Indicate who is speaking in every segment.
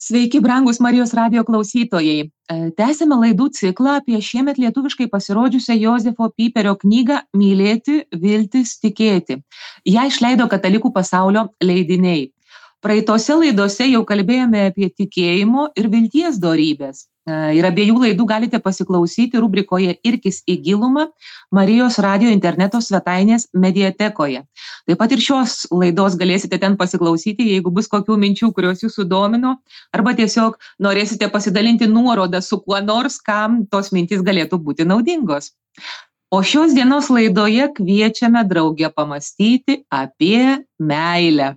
Speaker 1: Sveiki, brangus Marijos radijo klausytojai. Tęsėme laidų ciklą apie šiemet lietuviškai pasirodžiusią Jozefo Piperio knygą Mylėti, viltis, tikėti. Ją išleido Katalikų pasaulio leidiniai. Praeitose laidose jau kalbėjome apie tikėjimo ir vilties dorybės. Ir abiejų laidų galite pasiklausyti rubrikoje Irkis į gilumą Marijos radijo interneto svetainės mediatekoje. Taip pat ir šios laidos galėsite ten pasiklausyti, jeigu bus kokių minčių, kurios jūsų domino, arba tiesiog norėsite pasidalinti nuorodą su kuo nors, kam tos mintys galėtų būti naudingos. O šios dienos laidoje kviečiame draugę pamastyti apie meilę.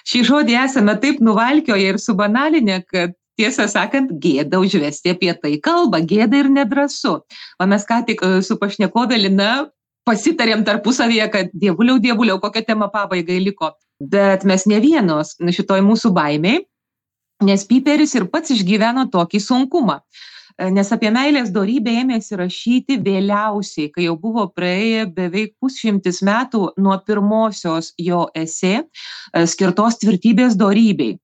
Speaker 1: Šį žodį esame taip nuvalkioję ir subanalinę, kad tiesą sakant, gėda užvesti apie tai kalbą, gėda ir nedrąsu. O mes ką tik su pašnekovė Lina pasitarėm tarpusavyje, kad dievuliau, kokia tema pabaigai liko. Bet mes ne vienos šitoj mūsų baimiai, nes Piperis ir pats išgyveno tokį sunkumą. Nes apie meilės dorybę ėmėsi rašyti vėliausiai, kai jau buvo praėję beveik 100 metų nuo pirmosios jo esė skirtos tvirtybės dorybei.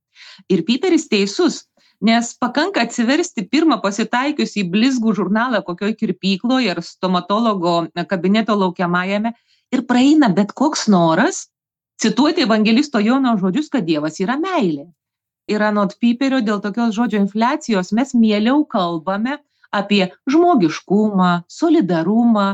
Speaker 1: Ir Piperis teisus, nes pakanka atsiversti pirmą pasitaikius į blizgų žurnalą kokioj kirpykloje ar stomatologo kabineto laukiamajame ir praeina bet koks noras cituoti evangelisto Jono žodžius, kad Dievas yra meilė. Ir anot Piperio dėl tokios žodžio infliacijos mes mieliau kalbame apie žmogiškumą, solidarumą.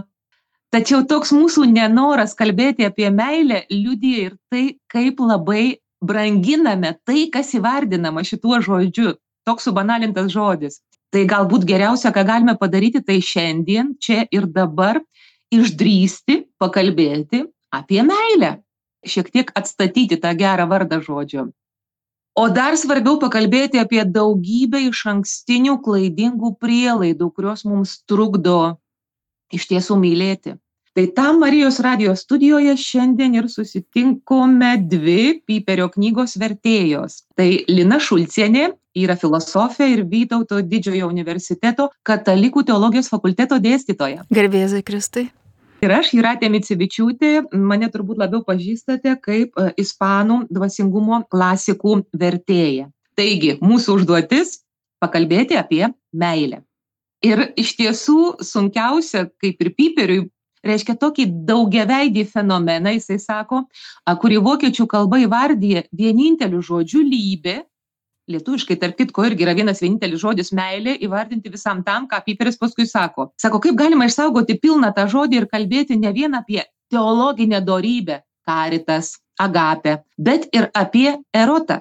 Speaker 1: Tačiau toks mūsų nenoras kalbėti apie meilę liudija ir tai, kaip labai branginame tai, kas įvardinama šituo žodžiu. Toks subanalintas žodis. Tai galbūt geriausia, ką galime padaryti, tai šiandien, čia ir dabar išdrįsti pakalbėti apie meilę. Šiek tiek atstatyti tą gerą vardą žodžio. O dar svarbiau pakalbėti apie daugybę išankstinių klaidingų prielaidų, kurios mums trukdo iš tiesų mylėti. Tai tam Marijos radijo studijoje šiandien ir susitinkome dvi Piperio knygos vertėjos. Tai Lina Šulcienė, yra filosofė ir Vytauto Didžiojo universiteto Katalikų teologijos fakulteto dėstytoja.
Speaker 2: Garbėzai Kristai.
Speaker 1: Ir aš, Jūratė Micevičiūtė, mane turbūt labiau pažįstate kaip ispanų dvasingumo klasikų vertėja. Taigi, mūsų užduotis pakalbėti apie meilę. Ir iš tiesų sunkiausia, kaip ir Piperiui, reiškia tokį daugiaveidį fenomeną, jisai sako, kurį vokiečių kalba įvardyja vieninteliu žodžiu lybė. Lietuviškai, tarp kitko, irgi yra vienas vienintelis žodis meilė įvardinti visam tam, ką Piperis paskui sako. Sako, kaip galima išsaugoti pilną tą žodį ir kalbėti ne vien apie teologinę dorybę, caritas, agapę, bet ir apie erotą,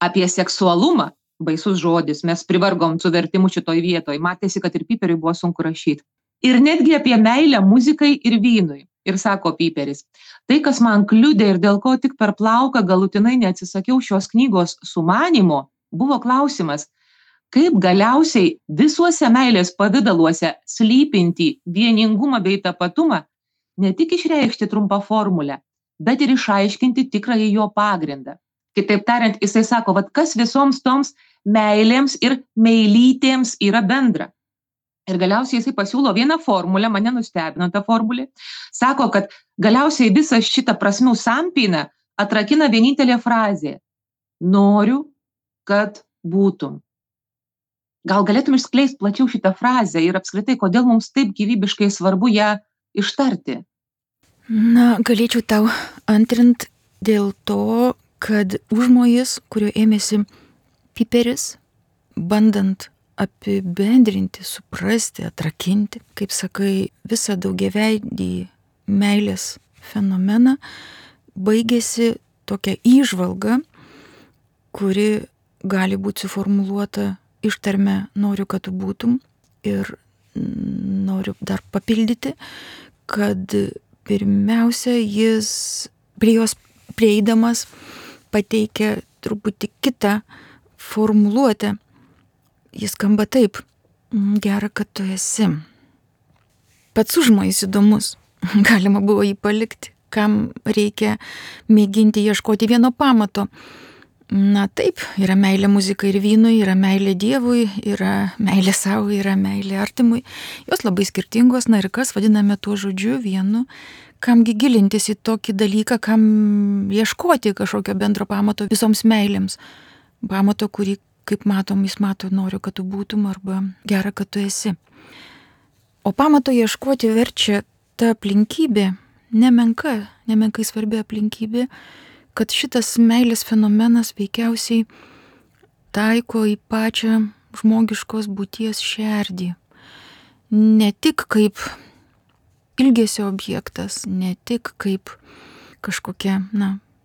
Speaker 1: apie seksualumą. Baisus žodis, mes privargom su vertimu šitoj vietoj. Matėsi, kad ir Piperiui buvo sunku rašyti. Ir netgi apie meilę muzikai ir vynui. Ir sako Piperis, tai, kas man kliudė ir dėl ko tik per plauką galutinai neatsisakiau šios knygos sumanymo, buvo klausimas, kaip galiausiai visuose meilės pavidaluose slypinti vieningumą bei tapatumą ne tik išreikšti trumpą formulę, bet ir išaiškinti tikrąjį jo pagrindą. Kitaip tariant, jisai sako, kas visoms toms meilėms ir meilytėms yra bendra. Ir galiausiai jisai pasiūlo vieną formulę, mane nustebino ta formulė, sako, kad galiausiai visą šitą prasmių sampyną atrakina vienintelė frazė – noriu, kad būtum. Gal galėtum išskleisti plačiau šitą frazę ir apskritai, kodėl mums taip gyvybiškai svarbu ją ištarti?
Speaker 2: Galėčiau tau antrint dėl to, kad užmojis, kurio ėmėsi Piperis, bandant apibendrinti, suprasti, atrakinti, kaip sakai, visą daugiaveidį meilės fenomeną, baigėsi tokia įžvalga, kuri gali būti suformuluota ištarme noriu, kad tu būtum, ir noriu dar papildyti, kad pirmiausia jis prie jos prieidamas pateikia truputį kitą formuluotę. Jis skamba taip, gera, kad tu esi. Pats užmojis įdomus, galima buvo jį palikti, kam reikia mėginti ieškoti vieno pamato. Taip, yra meilė muzikai ir vynui, yra meilė Dievui, yra meilė savo, yra meilė artimui. Jos labai skirtingos, ir kas vadiname tuo žodžiu vienu, kamgi gilintis į tokį dalyką, kam ieškoti kažkokio bendro pamato visoms meilėms. Pamato, kurį kaip matom, jis mato, noriu, kad tu būtum, arba gera, kad tu esi. O pamato ieškoti verčia ta aplinkybė, nemenkai svarbi aplinkybė, kad šitas meilės fenomenas veikiausiai taiko į pačią žmogiškos būties šerdį. Ne tik kaip ilgesio objektas, ne tik kaip kažkokia,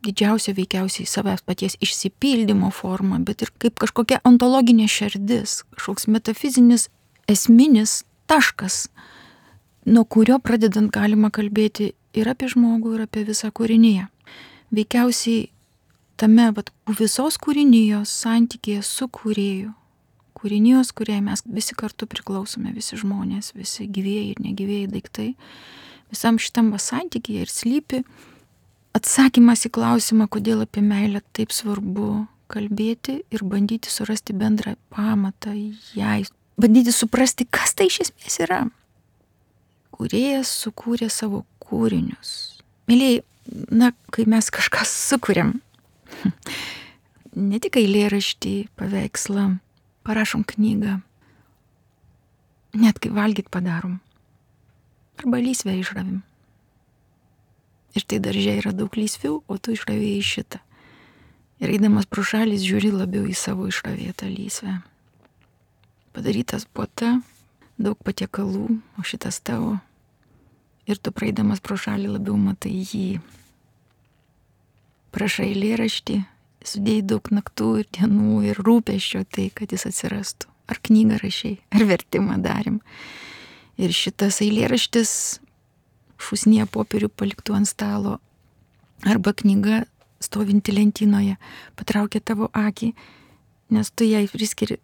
Speaker 2: didžiausia veikiausiai savęs paties išsipildymo forma, bet ir kaip kažkokia ontologinė šerdis, kažkoks metafizinis esminis taškas, nuo kurio pradedant galima kalbėti ir apie žmogų, ir apie visą kūriniją. Veikiausiai tame visos kūrinijos santykėje su kūrėju, kūrinijos, kuriai mes visi kartu priklausome, visi žmonės, visi gyvieji ir negyvieji daiktai, visam šitam santykėje ir slypi atsakymas į klausimą, kodėl apie meilę taip svarbu kalbėti ir bandyti surasti bendrą pamatą jai, bandyti suprasti, kas tai iš esmės yra. Kūrėjas sukūrė savo kūrinius. Mėlyjei, kai mes kažką sukūrėm, ne tik eilėraštį, paveikslą, parašom knygą, net kai valgyt padarom, arba lysvę išravim. Ir tai darže yra daug lysvių, o tu išravėjai šitą. Ir eidamas pro šalis žiūri labiau į savo išravėtą lysvę. Padarytas puota, daug patiekalų, o šitas tavo. Ir tu praeidamas pro šalį labiau matai jį. Prašai eilėraštį, sudėjai daug naktų ir dienų ir rūpesčio tai, kad jis atsirastų. Ar knygą rašai, ar vertimą darėm. Ir šitas eilėraštis šūsnyje popierių paliktų ant stalo, arba knyga stovinti lentynoje patraukia tavo akį, nes tu jai priskiri,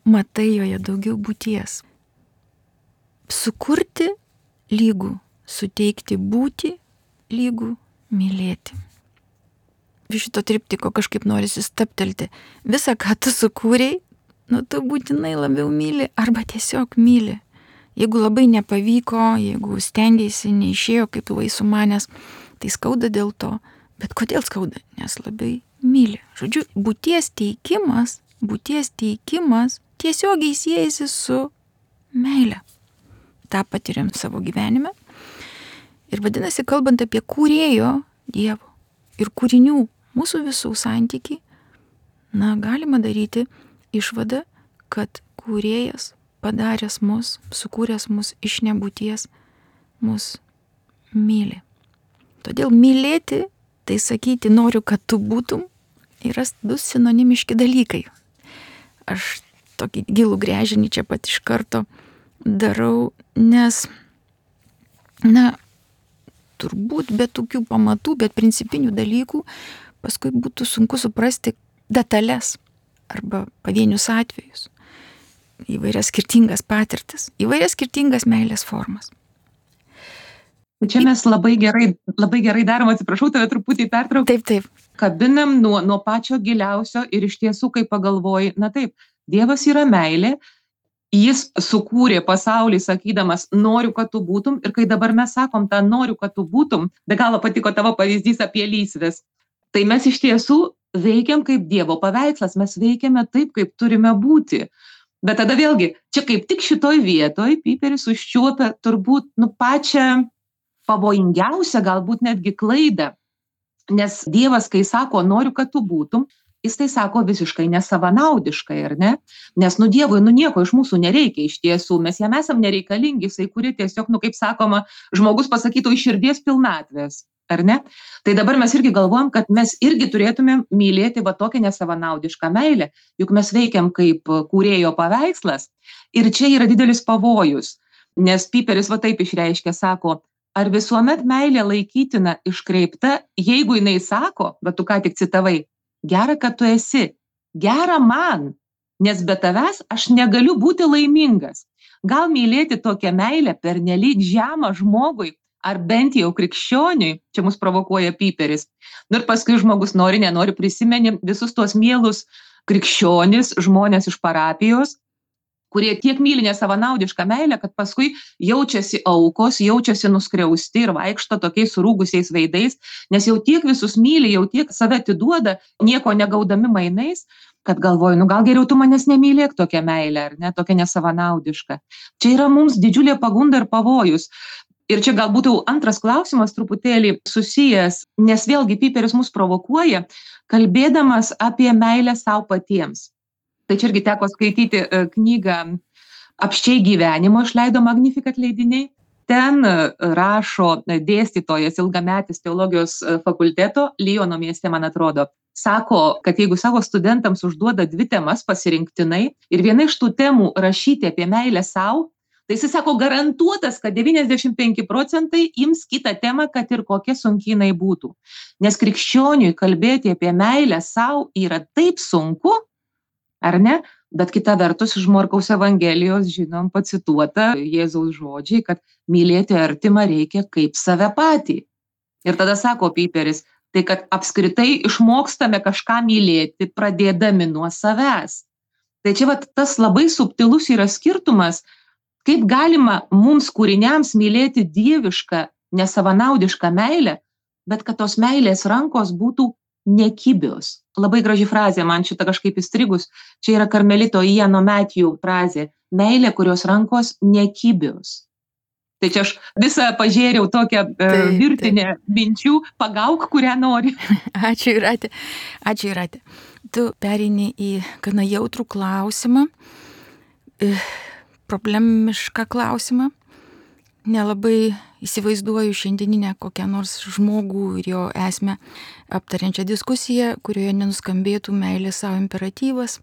Speaker 2: matai joje daugiau būties. Sukurti lygų, suteikti būti lygų, mylėti. Šito triptiko kažkaip norisi stabtelti. Visą, ką tu sukūrei, tu būtinai labiau myli arba tiesiog myli. Jeigu labai nepavyko, jeigu stengiaisi, neišėjo kaip buvai sumanęs, tai skauda dėl to. Bet kodėl skauda? Nes labai myli. Žodžiu, būties teikimas tiesiogiai siejasi su meile. Ta patiriam savo gyvenime. Ir vadinasi, kalbant apie kūrėjo Dievo ir kūrinių mūsų visų santykį, galima daryti išvadą, kad kūrėjas padaręs mus, sukūręs mus iš nebūties, mus myli. Todėl mylėti, tai sakyti noriu, kad tu būtum, yra du sinonimiški dalykai. Aš tokį gilų gręžinį čia pat iš karto darau, nes, turbūt be tokių pamatų, bet principinių dalykų, paskui būtų sunku suprasti detalės arba pavienius atvejus. Įvairias skirtingas patirtis, įvairias skirtingas meilės formas.
Speaker 1: Čia mes labai gerai darom, atsiprašau, tave truputį pertraukiu.
Speaker 2: Taip.
Speaker 1: Kabinam nuo pačio giliausio ir iš tiesų, kai pagalvoji, taip, Dievas yra meilė, jis sukūrė pasaulį sakydamas, noriu, kad tu būtum, ir kai dabar mes sakom tą noriu, kad tu būtum, be galo patiko tavo pavyzdys apie lysves, tai mes iš tiesų veikiam kaip Dievo paveikslas, mes veikiame taip, kaip turime būti. Bet tada vėlgi, čia kaip tik šitoj vietoj Piperis užčiuopia turbūt pačią pavojingiausią, galbūt netgi klaidą. Nes Dievas, kai sako, noriu, kad tu būtum, jis tai sako visiškai nesavanaudiškai, ar ne? Nes Dievui nieko iš mūsų nereikia iš tiesų, mes jam esam nereikalingi, jisai kuri tiesiog, kaip sakoma, žmogus pasakytų iš širdies pilnatvės, ar ne? Tai dabar mes irgi galvojam, kad mes irgi turėtumėm mylėti tokią nesavanaudišką meilę, juk mes veikiam kaip kūrėjo paveikslas. Ir čia yra didelis pavojus, nes Piperis taip išreiškia, sako, ar visuomet meilė laikytina iškreipta, jeigu jinai sako, tu ką tik citavai, gera, kad tu esi, gera man, nes be tavęs aš negaliu būti laimingas. Gal mylėti tokią meilę pernelyg žemą žmogui, ar bent jau krikščioniui, čia mus provokuoja Piperis. Ir paskui žmogus nenori prisimeni visus tuos mielus krikščionis, žmonės iš parapijos, kurie tiek myli nesavanaudišką meilę, kad paskui jaučiasi aukos, jaučiasi nuskriausti ir vaikšto tokiais surūgusiais veidais, nes jau tiek visus myli, jau tiek save atiduoda, nieko negaudami mainais, kad galvoju, nu gal geriau tu manęs nemylėk tokią meilę, ar ne, tokia nesavanaudiška. Čia yra mums didžiulė pagunda ir pavojus. Ir čia galbūt jau antras klausimas truputėlį susijęs, nes vėlgi Piperis mus provokuoja, kalbėdamas apie meilę savo patiems. Tai čia irgi teko skaityti knygą Apsčiai gyvenimo, išleido Magnificat leidiniai. Ten rašo dėstytojas ilgametis teologijos fakulteto, Liono mieste, man atrodo. Sako, kad jeigu savo studentams užduoda 2 temas pasirinktinai ir viena iš tų temų rašyti apie meilę savo, tai jis sako garantuotas, kad 95% ims kitą temą, kad ir kokia sunki jinai būtų. Nes krikščioniui kalbėti apie meilę savo yra taip sunku, ar ne? Bet kita vertus iš Morkaus Evangelijos žinom pacituota Jėzaus žodžiai, kad mylėti artimą reikia kaip save patį. Ir tada sako Piperis, tai kad apskritai išmokstame kažką mylėti, pradėdami nuo savęs. Tai čia tas labai subtilus yra skirtumas, kaip galima mums kūriniams mylėti dievišką, nesavanaudišką meilę, bet kad tos meilės rankos būtų nekibios. Labai graži frazė, man šitą kažkaip įstrigus. Čia yra karmelito Iano Matthew frazė. Meilė, kurios rankos nekibios. Tai čia aš visą pažėriau tokią virtinę minčių, pagauk, kurią nori.
Speaker 2: Ačiū, Jūratė. Tu pereini į gana jautrų klausimą, problemišką klausimą. Nelabai įsivaizduoju šiandieninę kokią nors žmogų ir jo esmę aptariančią diskusiją, kurioje nenuskambėtų meilės savo imperatyvas.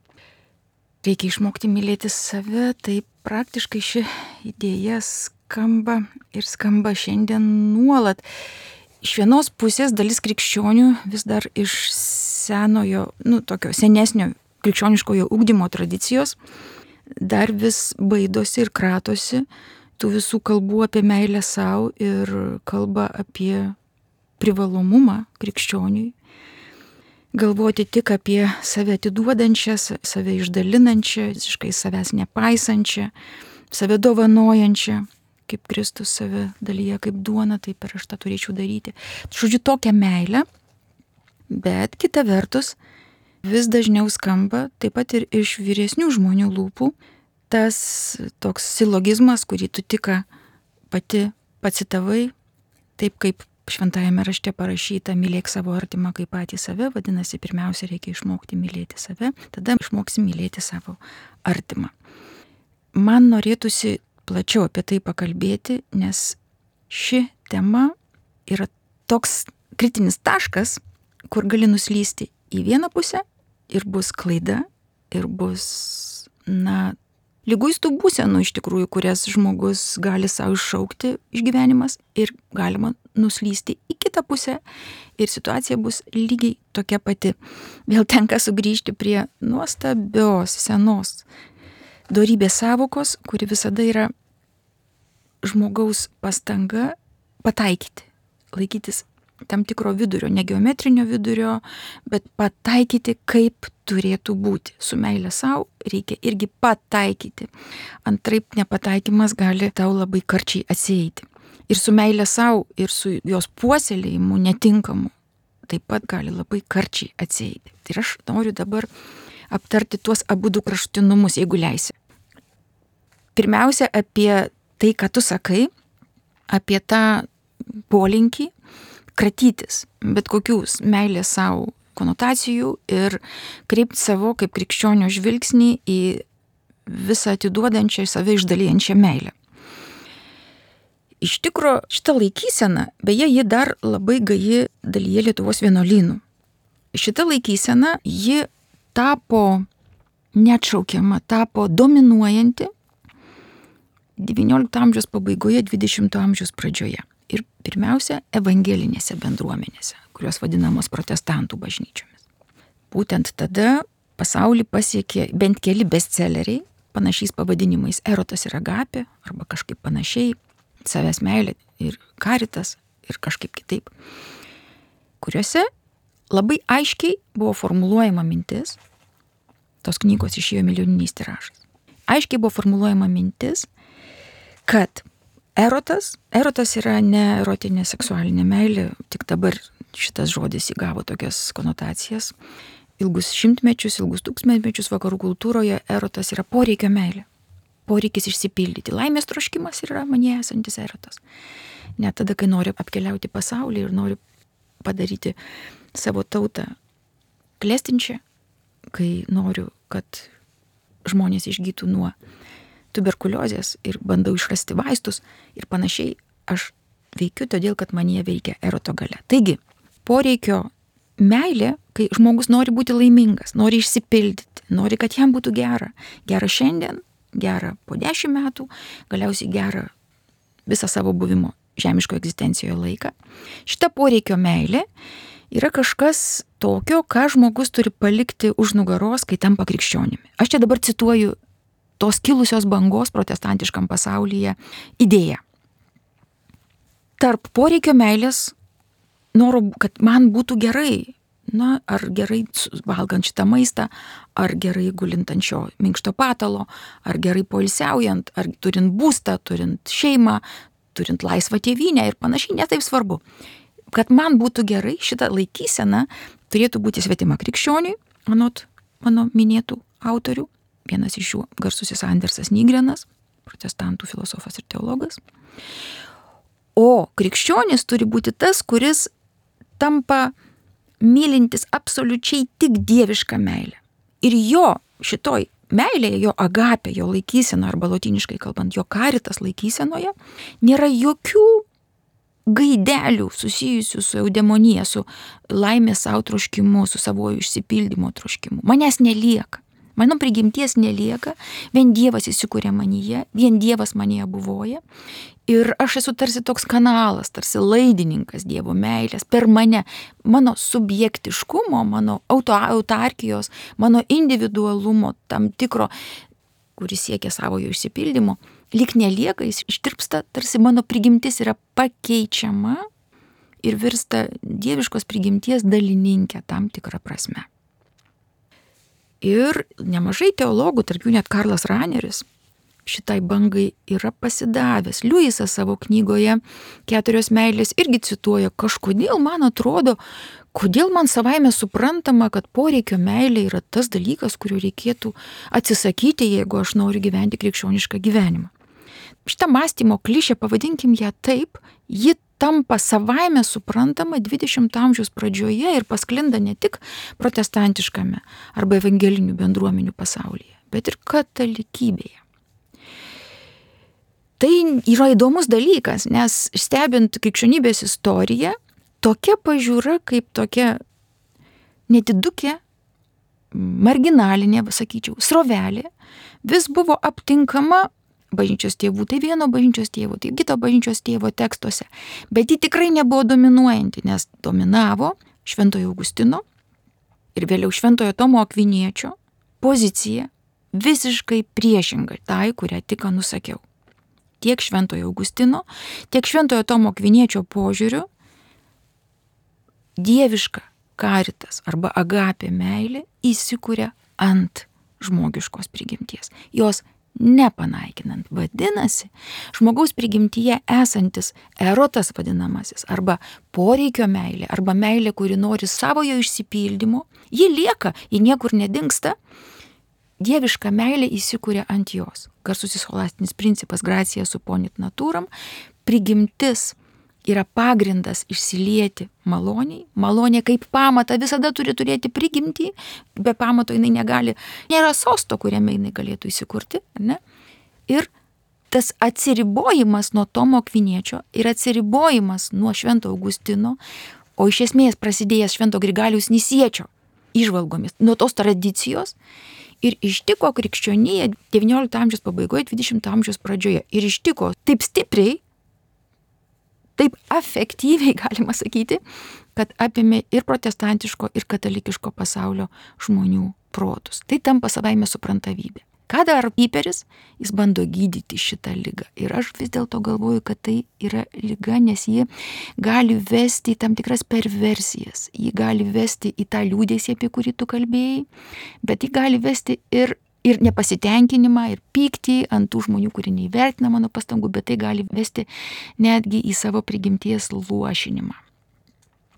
Speaker 2: Reikia išmokti mylėti save, tai praktiškai ši idėja skamba šiandien nuolat. Iš vienos pusės dalis krikščionių vis dar iš senojo, tokio senesnio krikščioniškojo ugdymo tradicijos dar vis baidosi ir kratosi tų visų kalbų apie meilę savo ir kalba apie privalomumą krikščioniui. Galvoti tik apie save atiduodančią, save išdalinančią, visiškai savęs nepaisančią, save dovanojančią, kaip Kristus save dalyja kaip duona, taip ir aš tą turėčiau daryti. Žodžiu, tokią meilę, bet kita vertus vis dažniau skamba taip pat ir iš vyresnių žmonių lūpų tas toks silogizmas, kurį tu tik pati pacitavai, taip kaip šventajame rašte parašyta, mylėk savo artimą kaip patį save, vadinasi, pirmiausia reikia išmokti mylėti save, tada išmoksi mylėti savo artimą. Man norėtųsi plačiau apie tai pakalbėti, nes ši tema yra toks kritinis taškas, kur gali nuslysti į vieną pusę ir bus klaida, ir bus, liguistų būsenų iš tikrųjų, kurias žmogus gali savo iššaukti išgyvenimas ir galima nuslysti į kitą pusę ir situacija bus lygiai tokia pati. Vėl tenka sugrįžti prie nuostabios senos dorybės sąvokos, kuri visada yra žmogaus pastanga pataikyti, laikytis tam tikro vidurio, ne geometrinio vidurio, bet pataikyti, kaip turėtų būti. Su meilė savo reikia irgi pataikyti. Antraip nepataikymas gali tau labai karčiai atsieiti. Ir su meilė savo, ir su jos puoselėjimu netinkamu taip pat gali labai karčiai atsieiti. Ir aš noriu dabar aptarti tuos abudu kraštutinumus, jeigu leisi. Pirmiausia, apie tai, ką tu sakai, apie tą polinkį kratytis bet kokius meilės savo konotacijų ir kreipti savo kaip krikščionio žvilgsnį į visą atiduodančią, save išdalijančią meilę. Iš tikro, šita laikysena, beje, ji dar labai gaji dalyje Lietuvos vienuolynų. Šita laikysena, ji tapo neatšaukiama, tapo dominuojanti XIX amžiaus pabaigoje, XX amžiaus pradžioje. Ir pirmiausia, evangelinėse bendruomenėse, kurios vadinamos protestantų bažnyčiomis. Būtent tada pasaulį pasiekė bent keli bestselleriai, panašiais pavadinimais Erotas ir Agapė, arba kažkaip panašiai, savęs meilė ir karitas ir kažkaip kitaip, kuriuose labai aiškiai buvo formuluojama mintis, tos knygos išėjo milijoniniais tiražais, aiškiai buvo formuluojama mintis, kad Erotas yra ne erotinė seksualinė meilė, tik dabar šitas žodis įgavo tokias konotacijas. ilgus šimtmečius, ilgus tūkstantmečius vakarų kultūroje erotas yra poreikio meilė. Poreikis išsipildyti. Laimės troškimas yra manyje esantis erotas. Net tada, kai noriu apkeliauti pasaulį ir noriu padaryti savo tautą klestinčią, kai noriu, kad žmonės išgytų nuo tuberkuliozės ir bandau išrasti vaistus ir panašiai, aš veikiu todėl, kad manyje veikia eroto galia. Taigi, poreikio meilė, kai žmogus nori būti laimingas, nori išsipildyti, nori, kad jam būtų gera. Gera šiandien, gera po 10 metų, galiausiai gera visą savo buvimo žemiško egzistencijoje laiką. Šita poreikio meilė yra kažkas tokio, ką žmogus turi palikti už nugaros, kai tampa krikščionimi. Aš čia dabar cituoju tos kilusios bangos protestantiškam pasaulyje idėją. Tarp poreikio meilės, noro, kad man būtų gerai, ar gerai valgant šitą maistą, ar gerai gulint ant šio minkšto patalo, ar gerai poilsiaujant, ar turint būstą, turint šeimą, turint laisvą tėvynę ir panašiai, netaip svarbu. Kad man būtų gerai, šitą laikyseną turėtų būti svetima krikščioniui, anot mano minėtų autorių. Vienas iš jų garsusis Andersas Nygrenas, protestantų filosofas ir teologas. O krikščionis turi būti tas, kuris tampa mylintis absoliučiai tik dievišką meilę. Ir jo šitoj meilėje, jo agapė, jo laikysena, arba lotyniškai kalbant, jo caritas laikysenoje, nėra jokių gaidelių susijusių su eudemonija, su laimės savo troškimu, su savo išsipildymo troškimu. Manęs nelieka. Mano prigimties nelieka, vien Dievas įsikūrė manyje, vien Dievas manyje buvoja. Ir aš esu tarsi toks kanalas, tarsi laidininkas Dievo meilės per mane, mano subjektiškumo, mano autarkijos, mano individualumo tam tikro, kuris siekia savojo išsipildymo, lyg nelieka, jis ištirpsta, tarsi mano prigimtis yra pakeičiama ir virsta dieviškos prigimties dalininkė tam tikrą prasme. Ir nemažai teologų, tarp jų net Karlas Raneris, šitai bangai yra pasidavęs. Liujisas savo knygoje 4 meilės irgi cituoja, kažkodėl man atrodo, kodėl man savaime suprantama, kad poreikio meilė yra tas dalykas, kurio reikėtų atsisakyti, jeigu aš noriu gyventi krikščionišką gyvenimą. Šitą mąstymo klišę, pavadinkim ją taip, ji tampa savaime suprantama 20 amžiaus pradžioje ir pasklinda ne tik protestantiškame arba evangelinių bendruomenių pasaulyje, bet ir katalikybėje. Tai yra įdomus dalykas, nes stebint krikščionybės istoriją, tokia pažiūra kaip tokia nedidukė, marginalinė, sakyčiau, srovelė, vis buvo aptinkama bažnyčios tėvų, tai vieno bažnyčios tėvo, tai kito bažnyčios tėvo tekstuose, bet ji tikrai nebuvo dominuojanti, nes dominavo Šventojo Augustino ir vėliau Šventojo Tomo Akviniečio pozicija visiškai priešinga tai, kurią tik nusakiau. Tiek Šventojo Augustino, tiek Šventojo Tomo Akviniečio požiūriu dieviška caritas arba agapė meilė įsikuria ant žmogiškos prigimties. Jos nepanaikinant. Vadinasi, žmogaus prigimtyje esantis erotas vadinamasis, arba poreikio meilė, arba meilė, kuri nori savojo išsipildymo, ji lieka, ji niekur nedingsta, dieviška meilė įsikuria ant jos. Garsusis scholastinis principas gracia supponit naturam, prigimtis yra pagrindas išsilieti maloniai. Malonė kaip pamatą visada turi turėti prigimtį, be pamato jinai negali, nėra sosto, kuriame jinai galėtų įsikurti, ne? Ir tas atsiribojimas nuo Tomo Akviniečio ir atsiribojimas nuo Švento Augustino, o iš esmės prasidėjęs Švento Grigaliaus Nisiečio įžvalgomis, nuo tos tradicijos, ir ištiko krikščioniją 19 amžiaus pabaigoje, 20 amžiaus pradžioje. Ir ištiko taip stipriai, taip efektyviai, galima sakyti, kad apėmė ir protestantiško, ir katalikiško pasaulio žmonių protus. Tai tampa savaime suprantavybė. Ką daro Piperis? Jis bando gydyti šitą ligą. Ir aš vis dėlto galvoju, kad tai yra liga, nes ji gali vesti į tam tikras perversijas. Ji gali vesti į tą liūdėsį, apie kurį tu kalbėjai, bet ji gali vesti ir nepasitenkinimą, ir pyktį ant tų žmonių, kurie neįvertina mano pastangų, bet tai gali vesti netgi į savo prigimties luošinimą.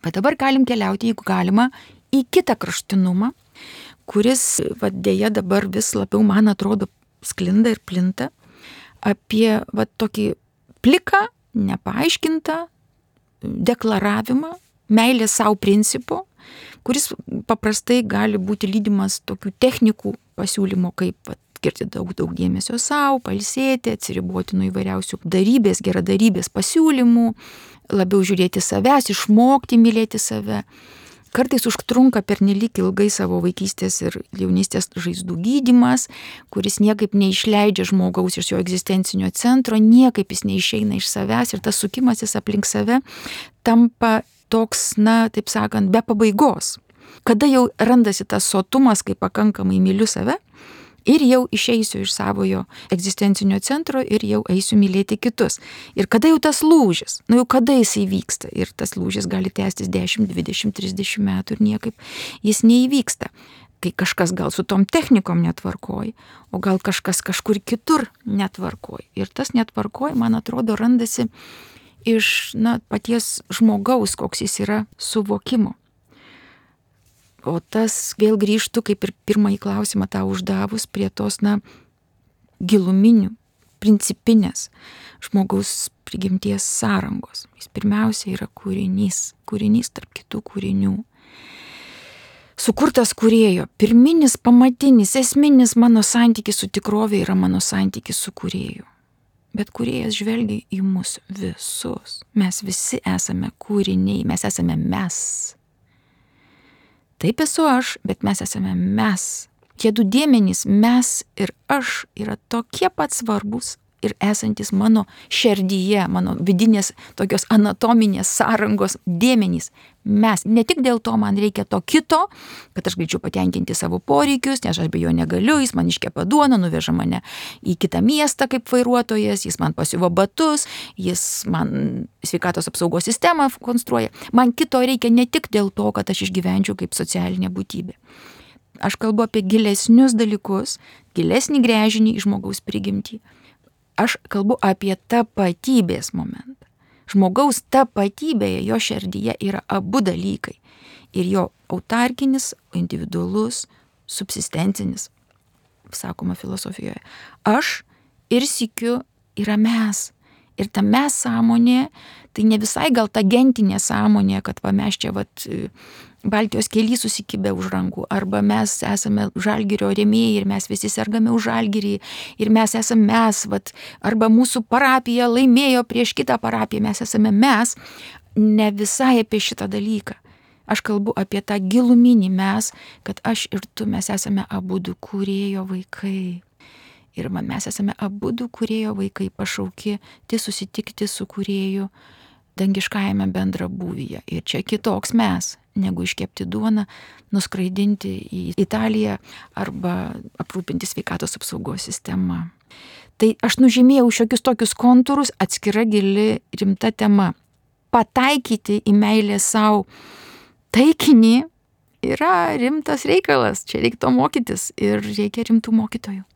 Speaker 2: Bet dabar galim keliauti, jeigu galima, į kitą kraštinumą, kuris dėja dabar vis labiau, man atrodo, sklinda ir plinta, apie tokį pliką, nepaaiškintą deklaravimą, meilės savo principo, kuris paprastai gali būti lydimas tokių technikų pasiūlymo, kaip skirti daug dėmesio savo, pailsėti, atsiriboti nuo įvairiausių darybės, geradarybės pasiūlymų, labiau žiūrėti savęs, išmokti mylėti save. Kartais užtrunka pernelyg ilgai savo vaikystės ir jaunystės žaizdų gydymas, kuris niekaip neišleidžia žmogaus iš jo egzistencinio centro, niekaip jis neišeina iš savęs ir tas sukimasis aplink save tampa toks, taip sakant, be pabaigos. Kada jau randasi tas sotumas, kai pakankamai myliu save, ir jau išeisiu iš savojo egzistencinio centro ir jau eisiu mylėti kitus. Ir kada jau tas lūžis, jau kada jis įvyksta, ir tas lūžis gali tęstis 10, 20, 30 metų ir niekaip jis neįvyksta. Kai kažkas gal su tom technikom netvarkoj, o gal kažkas kažkur kitur netvarkoj. Ir tas netvarkoj, man atrodo, randasi iš paties žmogaus, koks jis yra suvokimo. O tas vėl grįžtų, kaip ir pirmąjį klausimą tau uždavus, prie tos, giluminių, principinės žmogaus prigimties sąrangos. Jis pirmiausia yra kūrinys tarp kitų kūrinių. Sukurtas kūrėjo, pirminis, pamatinis, esminis mano santykis su tikrovė yra mano santykis su kūrėju. Bet kūrėjas žvelgia į mus visus. Mes visi esame kūriniai, mes esame mes. Taip esu aš, bet mes esame mes. Tie du dėmenys, mes ir aš, yra tokie pat svarbus ir esantis mano širdyje, mano vidinės tokios anatominės sąrangos dėmenys. Mes. Ne tik dėl to man reikia to kito, kad aš galėčiau patenkinti savo poreikius, nes aš be jo negaliu, jis man iškepa duoną, nuveža mane į kitą miestą kaip vairuotojas, jis man pasiuvo batus, jis man sveikatos apsaugos sistemą konstruoja. Man kito reikia ne tik dėl to, kad aš išgyvenčiau kaip socialinė būtybė. Aš kalbu apie gilesnius dalykus, gilesnį gręžinį į žmogaus prigimtį. Aš kalbu apie tapatybės momentą. Žmogaus tapatybėje, jo širdyje yra abu dalykai. Ir jo autarkinis, individualus, subsistencinis, sakoma filosofijoje. Aš ir sykiu yra mes. Ir ta mes sąmonė, tai ne visai gal ta gentinė sąmonė, kad mes čia Baltijos kely susikibę už rankų, arba mes esame Žalgirio rėmėjai ir mes visi sergame už Žalgirį ir mes esame mes, arba mūsų parapija laimėjo prieš kitą parapiją, mes esame mes, ne visai apie šitą dalyką. Aš kalbu apie tą giluminį mes, kad aš ir tu, mes esame abudu kūrėjo vaikai. Ir mes esame abudu kūrėjo vaikai, pašaukti susitikti su kūrėju dangiškajame bendrabūvyje. Ir čia kitoks mes, negu iškepti duoną, nuskraidinti į Italiją arba aprūpinti sveikatos apsaugos sistemą. Tai aš nužymėjau šiokius tokius kontūrus, atskira gili rimta tema. Pataikyti į meilę savo taikinį yra rimtas reikalas. Čia reiktų mokytis ir reikia rimtų mokytojų.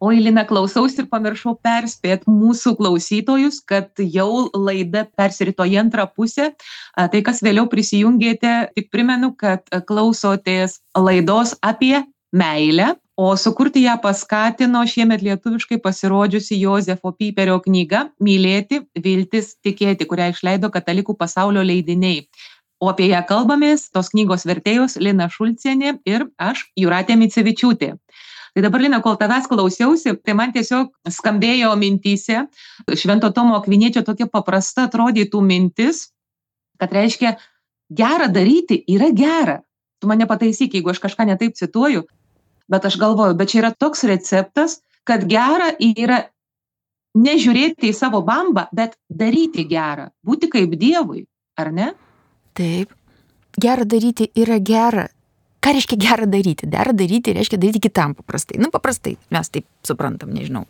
Speaker 1: Oi, Lina, klausausi ir pamiršau perspėti mūsų klausytojus, kad jau laida persirito į antrą pusę. Tai, kas vėliau prisijungėte, tik primenu, kad klausotės laidos apie meilę, o sukurti ją paskatino šiemet lietuviškai pasirodžiusi Jozefo Piperio knyga Mylėti, viltis, tikėti, kurią išleido Katalikų pasaulio leidiniai. O apie ją kalbamės tos knygos vertėjos Lina Šulcienė ir aš, Jūratė Micevičiūtė. Tai dabar, Lina, kol tavęs klausiausi, tai man tiesiog skambėjo mintyse Švento Tomo Akviniečio tokia paprasta atrodytų mintis, kad reiškia, gera daryti yra gera. Tu mane pataisyk, jeigu aš kažką netaip cituoju, bet aš galvoju, bet čia yra toks receptas, kad gera yra nežiūrėti į savo bambą, bet daryti gerą, būti kaip Dievui, ar ne?
Speaker 2: Taip, gera daryti yra gera. Ką reiškia gera daryti? Dera daryti reiškia daryti kitam paprastai. Paprastai, mes taip suprantam, nežinau.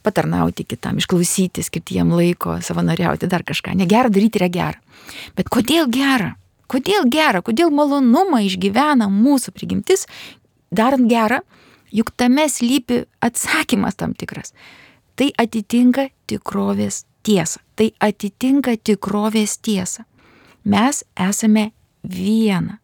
Speaker 2: Patarnauti kitam, išklausyti, skirti jam laiko, savanoriauti, dar kažką. Negera daryti yra gera. Bet kodėl gera? Kodėl gera? Kodėl malonumą išgyvena mūsų prigimtis, darant gerą, juk tame slypi atsakymas tam tikras. Tai atitinka tikrovės tiesą. Tai atitinka tikrovės tiesą. Mes esame viena.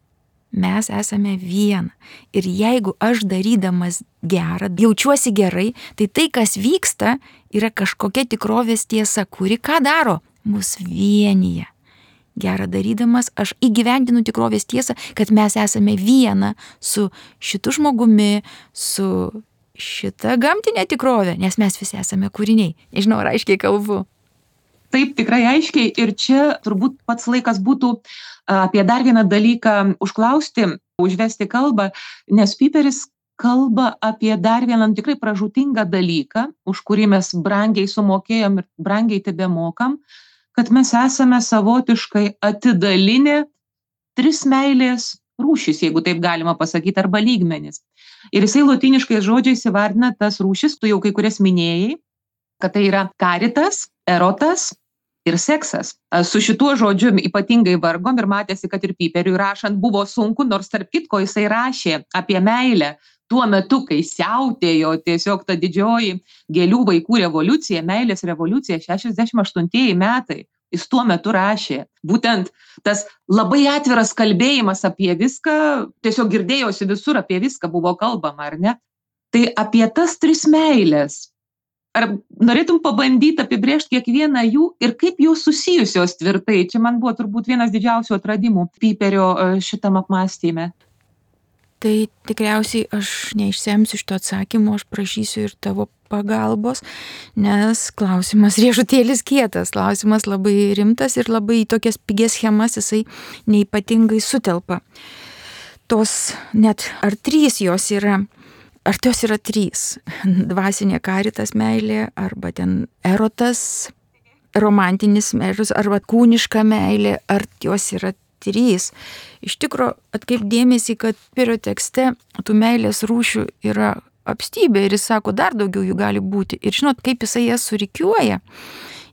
Speaker 2: mes esame viena. Ir jeigu aš darydamas gerą, jaučiuosi gerai, tai tai, kas vyksta, yra kažkokia tikrovės tiesa, kuri ką daro? Mus vienyje. Gerą darydamas aš įgyvendinu tikrovės tiesą, kad mes esame viena su šitu žmogumi, su šita gamtinė tikrovė, nes mes visi esame kūriniai. Nežinau, ar aiškiai kalbu.
Speaker 1: Taip, tikrai aiškiai. Ir čia turbūt pats laikas būtų apie dar vieną dalyką užklausti, užvesti kalbą, nes Piperis kalba apie dar vieną tikrai pražūtingą dalyką, už kurį mes brangiai sumokėjom ir brangiai tebemokam, kad mes esame savotiškai atidalinę 3 meilės rūšis, jeigu taip galima pasakyti, arba lygmenis. Ir jisai lotyniškais žodžiais įvardina tas rūšis, tu jau kai kurias minėjai, kad tai yra karitas, erotas ir seksas. Su šituo žodžiu ypatingai vargom ir matėsi, kad ir Piperiui rašant buvo sunku, nors tarp kitko jisai rašė apie meilę tuo metu, kai siautėjo tiesiog ta didžioji gėlių vaikų revoliucija, meilės revoliucija, 68 metai. Jis tuo metu rašė. Būtent tas labai atviras kalbėjimas apie viską, tiesiog girdėjosi visur, apie viską buvo kalbama, ar ne? Tai apie tas 3 meilės. Ar norėtum pabandyti apibrėžti kiekvieną jų ir kaip jos susijusios tvirtai? Čia man buvo turbūt vienas didžiausių atradimų Piperio šitam apmąstyme.
Speaker 2: Tai tikriausiai aš neišsemsiu šito atsakymo, aš prašysiu ir tavo pagalbos, nes klausimas riešutėlis kietas, klausimas labai rimtas ir labai tokias pigias schemas jisai neipatingai sutelpa. Tos net ar 3 jos yra, ar tos yra 3, dvasinė karitas meilė, arba ten erotas, romantinis meilės, arba kūniška meilė, ar jos yra 3. Iš tikro, atkreip dėmesį, kad Piperio tekste tų meilės rūšių yra apstybė ir jis sako, dar daugiau jų gali būti. Ir žinot, kaip jisai jas surikiuoja?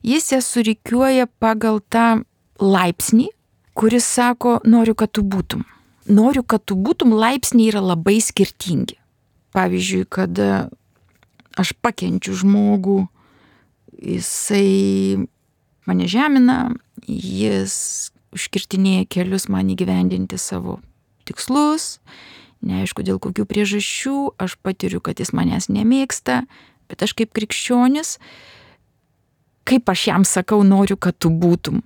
Speaker 2: Jis jas surikiuoja pagal tą laipsnį, kuris sako, noriu, kad tu būtum. Noriu, kad tu būtum, laipsniai yra labai skirtingi. Pavyzdžiui, kad aš pakenčiu žmogų, jisai mane žemina, jis užkirtinėja kelius man įgyvendinti savo tikslus, neaišku dėl kokių priežasčių, aš patiriu, kad jis manęs nemėgsta, bet aš kaip krikščionis, kaip aš jam sakau, noriu, kad tu būtum.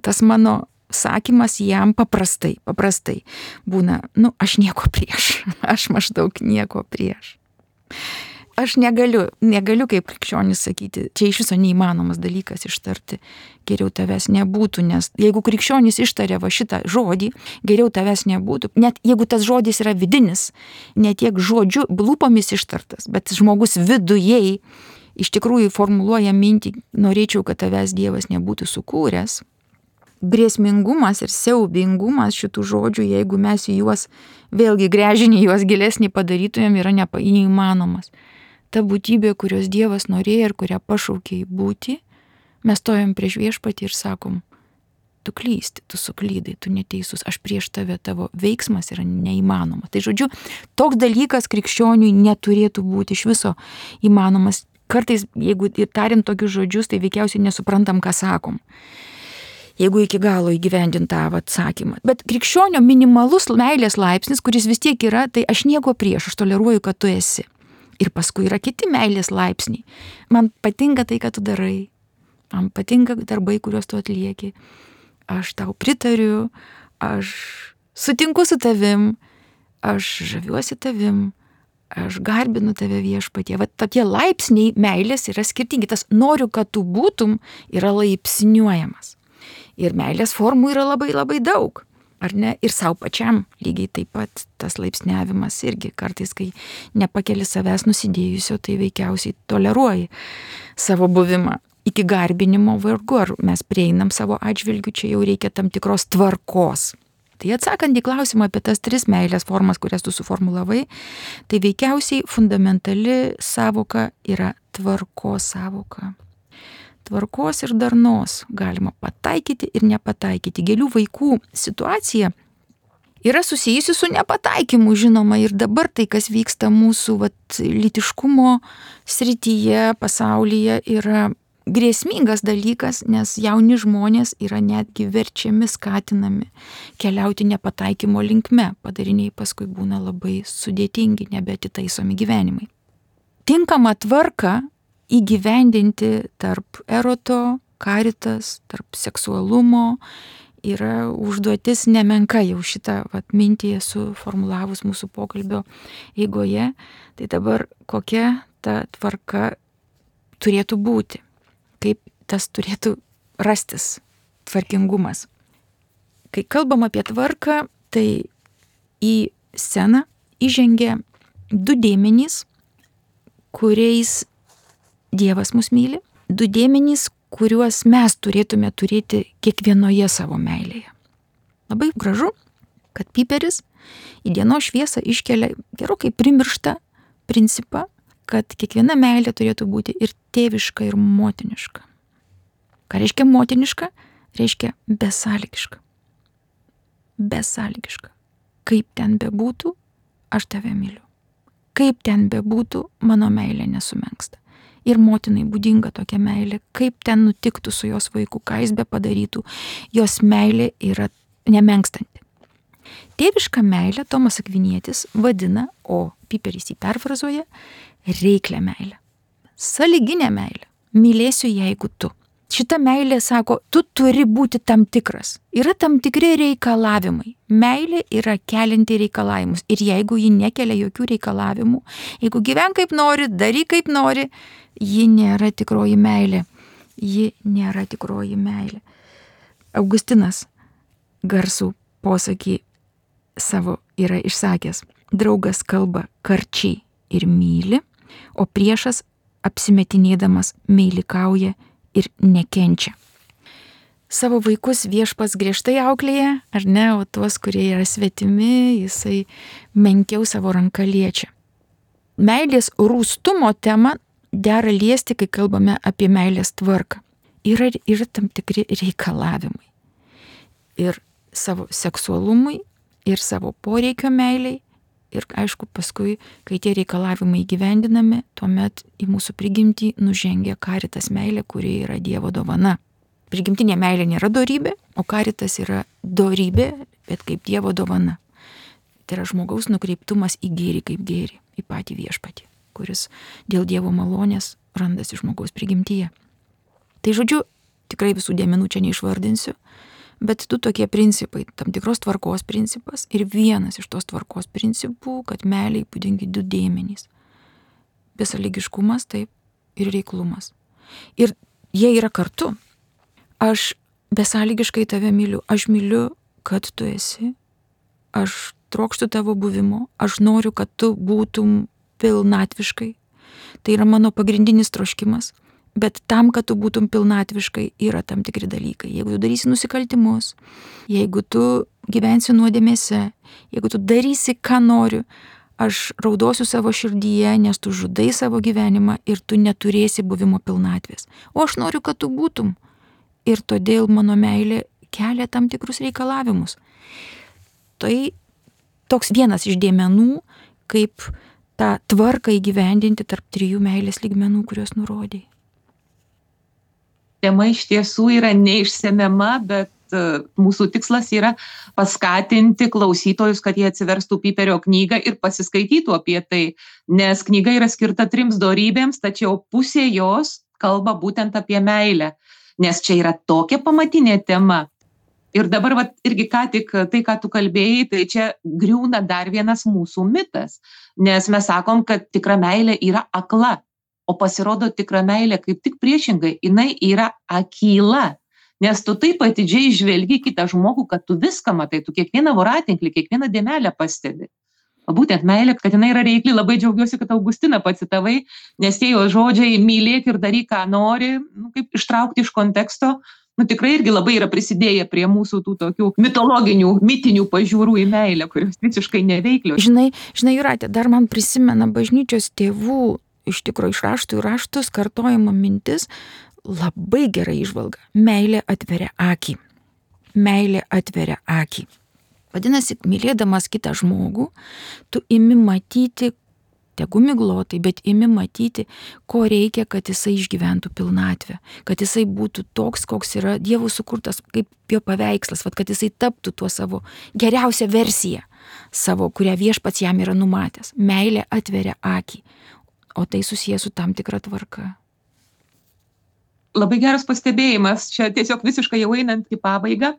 Speaker 2: Tas mano sakymas jam paprastai būna, aš nieko prieš, aš maždaug nieko prieš. Aš negaliu kaip krikščionis sakyti, čia iš viso neįmanomas dalykas ištarti, geriau tavęs nebūtų, nes jeigu krikščionis ištarė va šitą žodį, geriau tavęs nebūtų, net jeigu tas žodis yra vidinis, ne tiek žodžiu, lūpomis ištartas, bet žmogus vidujei iš tikrųjų formuluoja mintį, norėčiau, kad tavęs Dievas nebūtų sukūręs. Grėsmingumas ir siaubingumas šitų žodžių, jeigu mes juos, vėlgi gręžinį juos gilesnį padarytumėm, yra neįmanomas. Ta būtybė, kurios Dievas norėjo ir kurią pašaukė į būtį, mes stojam prieš viešpatį ir sakom, tu klysti, tu suklydai, tu neteisus, aš prieš tave, tavo veiksmas yra neįmanomas. Tai žodžiu, toks dalykas krikščioniui neturėtų būti iš viso įmanomas. Kartais, jeigu tariam tokius žodžius, tai veikiausiai nesuprantam, ką sakom, jeigu iki galo įgyvendint tą atsakymą. Bet krikščionio minimalus meilės laipsnis, kuris vis tiek yra, tai aš nieko prieš, aš toleruoju, kad tu esi. Ir paskui yra kiti meilės laipsniai. Man patinka tai, ką tu darai. Man patinka darbai, kuriuos tu atlieki. Aš tau pritariu, aš sutinku su tavim, aš žaviuosi tavim, aš garbinu tave viešpatie. Vat tokie laipsniai meilės yra skirtingi. Tas noriu, kad tu būtum, yra laipsniuojamas. Ir meilės formų yra labai labai daug. Ar ne? Ir savo pačiam lygiai taip pat tas laipsniavimas irgi kartais, kai nepakeli savęs nusidėjusio, tai veikiausiai toleruoji savo buvimą. Iki garbinimo vargu, ar mes prieinam savo atžvilgių, čia jau reikia tam tikros tvarkos. Tai atsakant į klausimą apie tas 3 meilės formas, kurias tu suformulavai, tai veikiausiai fundamentali sąvoka yra tvarkos sąvoka. Tvarkos ir darnos galima pataikyti ir nepataikyti. Gėlių vaikų situacija yra susijusi su nepataikymu, žinoma, ir dabar tai, kas vyksta mūsų lytiškumo srityje, pasaulyje, yra grėsmingas dalykas, nes jauni žmonės yra netgi verčiami, skatinami keliauti nepataikymo linkme. Padariniai paskui būna labai sudėtingi, nebeatitaisomi gyvenimai. Tinkamą tvarką įgyvendinti tarp eroto, karitas, tarp seksualumo yra užduotis nemenka, jau šitą mintį esu formulavus mūsų pokalbio eigoje. Tai dabar kokia ta tvarka turėtų būti? Kaip tas turėtų rastis tvarkingumas? Kai kalbam apie tvarką, tai į sceną įžengia du dėmenys, kuriais Dievas mus myli, du dėmenys, kuriuos mes turėtume turėti kiekvienoje savo meilėje. Labai gražu, kad Piperis į dienos šviesą iškelia gerokai primirštą principą, kad kiekviena meilė turėtų būti ir tėviška, ir motiniška. Ką reiškia motiniška? Reiškia besąlygiška. Besąlygiška. Kaip ten bebūtų, aš tave myliu. Kaip ten bebūtų, mano meilė nesumenksta. Ir motinai būdinga tokia meilė, kaip ten nutiktų su jos vaiku, ką jis be padarytų, jos meilė yra nemenkstanti. Tėvišką meilę Tomas Akvinietis vadina, o Piperis jį perfrazuoja, reiklią meilę. Sąlyginę meilę. Mylėsiu, jeigu tu. Šita meilė sako, tu turi būti tam tikras. Yra tam tikri reikalavimai. Meilė yra kelianti reikalavimus. Ir jeigu ji nekelia jokių reikalavimų, jeigu gyven kaip nori, daryk kaip nori, ji nėra tikroji meilė. Ji nėra tikroji meilė. Augustinas garsų posakį savo yra išsakęs. Draugas kalba karčiai ir myli, o priešas apsimetinėdamas meilikauja ir nekenčia. Savo vaikus Viešpats griežtai auklėja, ar ne, o tuos, kurie yra svetimi, jisai menkiau savo ranką liečia. Meilės rūstumo temą dera liesti, kai kalbame apie meilės tvarką. Yra tam tikri reikalavimai. Ir savo seksualumui, ir savo poreikio meiliai. Ir aišku, paskui, kai tie reikalavimai įgyvendinami, tuomet į mūsų prigimtį nužengia karitas meilė, kuri yra Dievo dovana. Prigimtinė meilė nėra dorybė, o karitas yra dorybė, bet kaip Dievo dovana. Tai yra žmogaus nukreiptumas į gėrį kaip gėrį, į patį Viešpatį, kuris dėl Dievo malonės randasi žmogaus prigimtyje. Tai žodžiu, tikrai visų dėmenų čia neišvardinsiu, bet du tokie principai, tam tikros tvarkos principas ir vienas iš tos tvarkos principų, kad meiliai būdingi du dėmenys. Besąlygiškumas, taip, ir reiklumas. Ir jie yra kartu. Aš besąlygiškai tave myliu, aš myliu, kad tu esi, aš trokštu tavo buvimo, aš noriu, kad tu būtum pilnatviškai. Tai yra mano pagrindinis troškimas. Bet tam, kad tu būtum pilnatviškai, yra tam tikri dalykai. Jeigu tu darysi nusikaltimus, jeigu tu gyvensi nuodėmėse, jeigu tu darysi, ką noriu, aš raudosiu savo širdyje, nes tu žudai savo gyvenimą ir tu neturėsi buvimo pilnatvės. O aš noriu, kad tu būtum. Ir todėl mano meilė kelia tam tikrus reikalavimus. Tai toks vienas iš dėmenų, kaip tą tvarką įgyvendinti tarp trijų meilės lygmenų, kuriuos nurodėjai.
Speaker 1: Tema iš tiesų yra neišsemiama, bet mūsų tikslas yra paskatinti klausytojus, kad jie atsiverstų Piperio knygą ir pasiskaitytų apie tai, nes knyga yra skirta 3 dorybėms, tačiau pusė jos kalba būtent apie meilę, nes čia yra tokia pamatinė tema. Ir dabar irgi ką tik tai, ką tu kalbėjai, tai čia griūna dar vienas mūsų mitas, nes mes sakom, kad tikra meilė yra akla. O pasirodo tikra meilė kaip tik priešingai, jinai yra akyla, nes tu taip atidžiai žvelgi kitą žmogų, kad tu viską matai, tu kiekvieną voratinklį, kiekvieną dėmelę pastebi. O būtent meilė, kad jinai yra reikli, labai džiaugiuosi, kad Augustiną pacitavai, nes tie jo žodžiai mylėk ir daryk, ką nori, kaip ištraukti iš konteksto, tikrai irgi labai yra prisidėję prie mūsų tų tokių mitologinių, mitinių pažiūrų į meilę, kurios visiškai neveiklios.
Speaker 2: Žinai, Jūrate, dar man prisimena bažnyčios tėvų, iš tikrųjų iš raštų į raštus kartojama mintis, labai gera įžvalga. Meilė atveria akį. Meilė atveria akį. Vadinasi, mylėdamas kitą žmogų, tu imi matyti tegu miglotai, bet imi matyti, ko reikia, kad jisai išgyventų pilnatvę, kad jisai būtų toks, koks yra Dievo sukurtas, kaip jo paveikslas, kad jisai taptų tuo savo geriausią versiją savo, kurią viešpats jam yra numatęs. Meilė atveria akį, o tai susijęs su tam tikra tvarka.
Speaker 1: Labai geras pastebėjimas, čia tiesiog visiškai jau einant į pabaigą,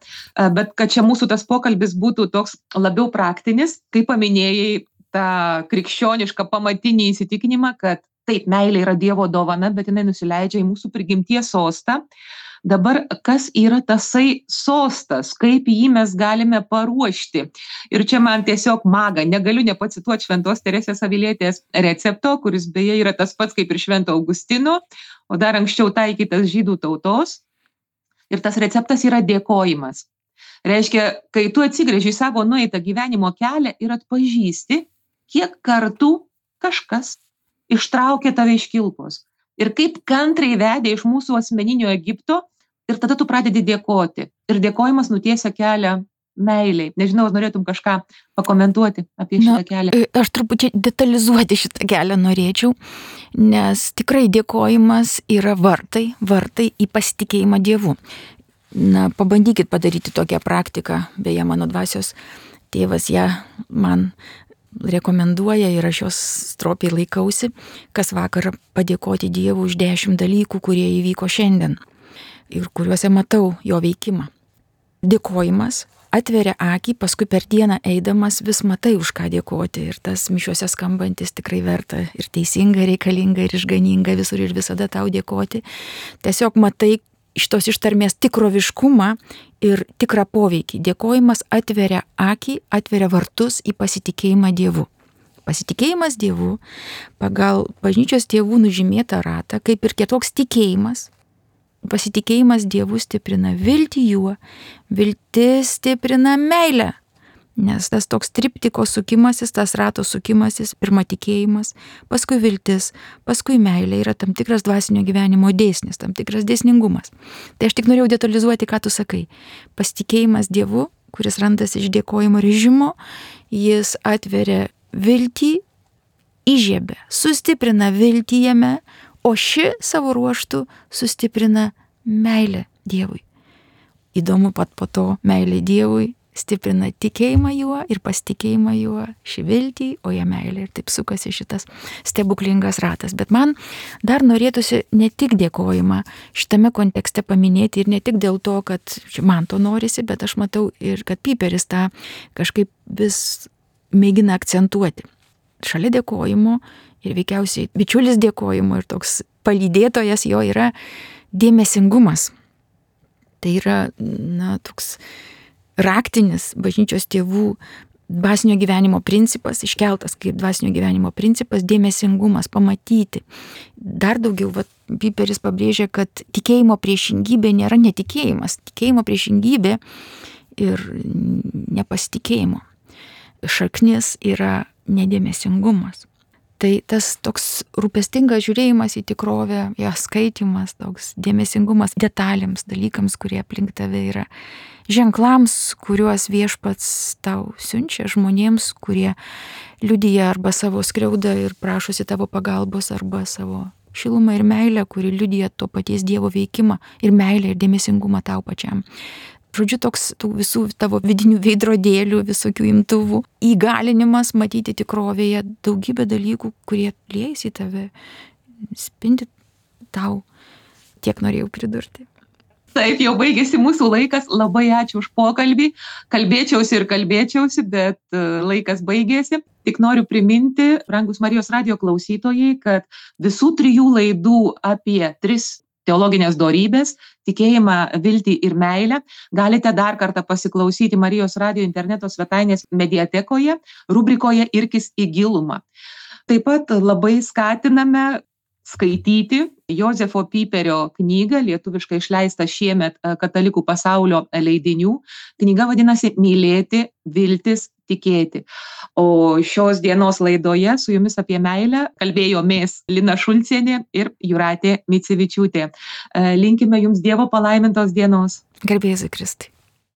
Speaker 1: bet kad čia mūsų tas pokalbis būtų toks labiau praktinis, kaip paminėjai tą krikščionišką pamatinį įsitikinimą, kad taip, meilė yra Dievo dovana, bet jinai nusileidžia į mūsų prigimties sostą. Dabar kas yra tasai sostas, kaip jį mes galime paruošti. Ir čia man tiesiog maga, negaliu nepacituoti Šventos Teresės Avilietės recepto, kuris beje yra tas pats kaip ir Švento Augustino, o dar anksčiau taikytas žydų tautos. Ir tas receptas yra dėkojimas. Reiškia, kai tu atsigręži į savo nueitą gyvenimo kelią ir atpažįsti, kiek kartų kažkas ištraukė tave iš kilpos. Ir kaip kantriai vedė iš mūsų asmeninio Egipto, ir tada tu pradedi dėkoti. Ir dėkojimas nutiesia kelią meiliai. Nežinau, ar norėtum kažką pakomentuoti apie šitą kelią.
Speaker 2: Aš truputį detalizuoti šitą kelią norėčiau, nes tikrai dėkojimas yra vartai į pasitikėjimą Dievu. Pabandykit padaryti tokią praktiką, beje, mano dvasios tėvas ją man rekomenduoja ir aš jos stropiai laikausi, kas vakarą padėkoti Dievui už 10 dalykų, kurie įvyko šiandien ir kuriuose matau jo veikimą. Dėkojimas atveria akį, paskui per dieną eidamas vis matai, už ką dėkoti, ir tas mišiuose skambantis tikrai verta ir teisinga, reikalinga ir išganinga visur ir visada tau dėkoti. Tiesiog matai šitos ištarmės tikroviškumą ir tikrą poveikį. Dėkojimas atveria akį, atveria vartus į pasitikėjimą Dievu. Pasitikėjimas Dievu pagal bažnyčios tėvų nužymėtą ratą, kaip ir kitoks tikėjimas. Pasitikėjimas Dievu stiprina viltį juo, viltis stiprina meilę. Nes tas toks triptiko sukimasis, tas rato sukimasis, pirma tikėjimas, paskui viltis, paskui meilė yra tam tikras dvasinio gyvenimo dėsnis, tam tikras dėsningumas. Tai aš tik norėjau detalizuoti, ką tu sakai. Pasitikėjimas Dievu, kuris randasi iš dėkojimo režimo, jis atveria viltį, įžiebia, sustiprina viltį jame, o ši savo ruožtu sustiprina meilę Dievui. Įdomu, pat po to meilė Dievui stiprina tikėjimą juo ir pasitikėjimą juo, šį viltį, o ją meilė, ir taip sukasi šitas stebuklingas ratas. Bet man dar norėtųsi ne tik dėkojimą šitame kontekste paminėti ir ne tik dėl to, kad man to norisi, bet aš matau ir kad Piperis tą kažkaip vis mėgina akcentuoti. Šalia dėkojimo ir veikiausiai bičiulis dėkojimo ir toks palydėtojas jo yra dėmesingumas. Tai yra, toks raktinis bažnyčios tėvų dvasinio gyvenimo principas, iškeltas kaip dvasinio gyvenimo principas, dėmesingumas, pamatyti. Dar daugiau, Piperis pabrėžia, kad tikėjimo priešingybė nėra netikėjimas, tikėjimo priešingybė ir nepasitikėjimo šaknis yra nedėmesingumas. Tai tas toks rūpestingas žiūrėjimas į tikrovę, ją skaitimas, toks dėmesingumas detalėms, dalykams, kurie aplink tave yra, ženklams, kuriuos viešpats tau siunčia, žmonėms, kurie liudija arba savo skriaudą ir prašosi tavo pagalbos, arba savo šilumą ir meilę, kuri liudija to paties Dievo veikimą ir meilę ir dėmesingumą tau pačiam. Žodžiu, toks tų visų tavo vidinių veidrodėlių, visokių imtuvų įgalinimas matyti tikrovėje daugybę dalykų, kurie liejasi į tave, spindi tau. Tiek norėjau pridurti.
Speaker 1: Taip, jau baigėsi mūsų laikas. Labai ačiū už pokalbį. Kalbėčiausi, bet laikas baigėsi. Tik noriu priminti, brangus Marijos radijo klausytojai, kad visų 3 laidų apie 3 teologinės dorybės, tikėjimą, viltį ir meilę galite dar kartą pasiklausyti Marijos radijo interneto svetainės mediatekoje, rubrikoje Irkis į gilumą. Taip pat labai skatiname skaityti Jozefo Piperio knygą, lietuviškai išleistą šiemet Katalikų pasaulio leidinių. Knyga vadinasi Mylėti, viltis, tikėti. O šios dienos laidoje su jumis apie meilę kalbėjomės Lina Šulcienė ir Jūratė Micevičiūtė. Linkime jums Dievo palaimintos dienos.
Speaker 2: Garbė Jėzui Kristui.